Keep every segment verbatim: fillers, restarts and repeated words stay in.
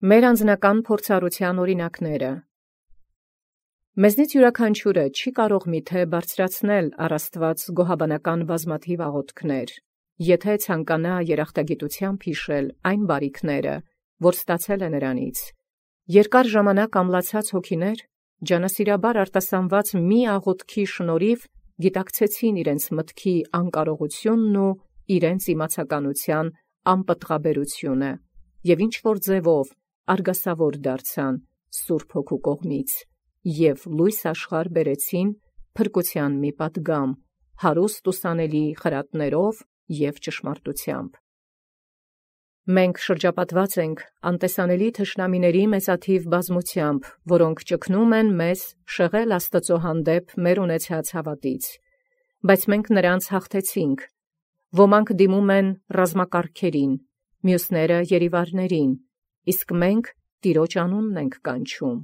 Մեր անձնական փորձառության օրինակները։ Մեզնից յուրաքանչյուրը չի կարող միթե բարձրացնել առ Աստված գոհաբանական բազմաթիվ աղոթքներ, եթե ցանկանա երախտագիտությամբ հիշել այն բարիքները, որ ստացել է նրանից։ Երկար ժամանակ ամլացած հոգիներ ջանասիրաբար արտասանված մի աղոթքի շնորհիվ գիտակցեցին իրենց մտքի անկարողությունն ու իրենց իմացականության անպտղաբերությունը և ինչ-որ ձևով արգասավոր դարձան Սուրբ Հոգու կողմից և լույս աշխարհ բերեցին փրկության մի պատգամ, հարուստ ուսանելի խրատներով և ճշմարտությամբ։ Մենք շրջապատված ենք անտեսանելի թշնամիների մեծաթիվ բազմությամբ, որոնք ճգնում են մեզ շեղել Աստծո հանդեպ մեր ունեցած հավատից, բայց մենք նրանց հաղթեցինք։ Ոմանք դիմում են ռազմակարգերին, մյուսները երիվարներին, իսկ մենք Տիրոջ անունն ենք կանչում։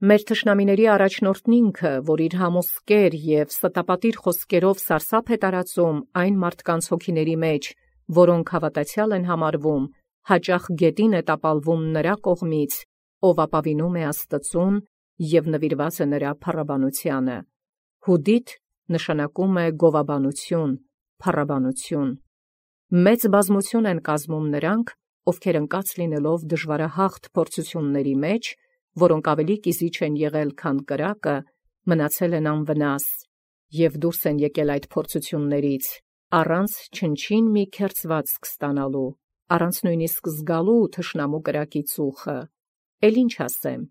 Մեր թշնամիների առաջնորդն ինքը, որ իր համոսկեր և ստապատիր խոսքերով սարսափ է տարածում այն մարդկանց հոգիների մեջ, որոնք հավատացյալ են համարվում, հաճախ գետին է տապալվում նրա կողմից, ով ապավինում է Աստծուն և նվիրված է նրա փառաբանությանը։ Հուդիթ նշանակում է գովաբանություն, փառաբանություն։ Մեծ բազմություն են կազմում նրանք, ովքեր ընկած լինելով դժվարահաղթ փորձությունների մեջ, որոնք ավելի կիզիչ են եղել, քան կրակը, մնացել են անվնաս և դուրս են եկել այդ փորձություններից, առանց չնչին մի քերծվածք ստանալու, առանց նույնիսկ զգալու թշնամու կրակի ծուխը։ Էլ ինչ ասեմ։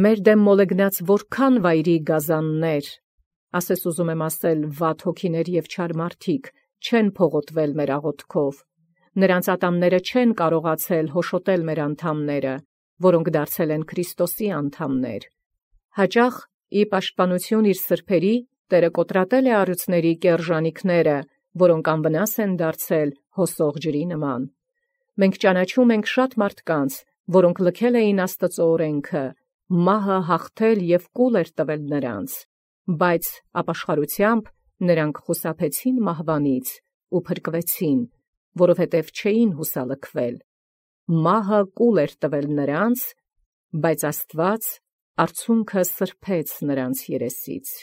Մեր դեմ մոլեգնած որքան վայրի գազաններ, ասես ուզում եմ ասել վատ հոգիներ և չար մարդիկ, չեն փողոտվել մեր աղոթքով, նրանց ատամները չեն կարողացել հոշոտել մեր անդամները, որոնք դարձել են Քրիստոսի անդամներ։ Հաճախ ի պաշտպանություն իր սրբերի Տերը կոտրատել է առյուծների կեռժանիքները, որոնք անվնաս են դարձել հոսող ջրի նման։ Մենք ճանաչում ենք շատ մարդկանց, որոնք լքել էին Աստծո օրենքը, մահը հաղթել և կուլ էր տվել նրանց, բայց ապաշխարությամբ նրանք խուսափեցին մահվանից ու փրկվեցին, որովհետև չէին հուսալքվել։ Մահը կուլ էր տվել նրանց, բայց Աստված արցունքը սրբեց նրանց երեսից։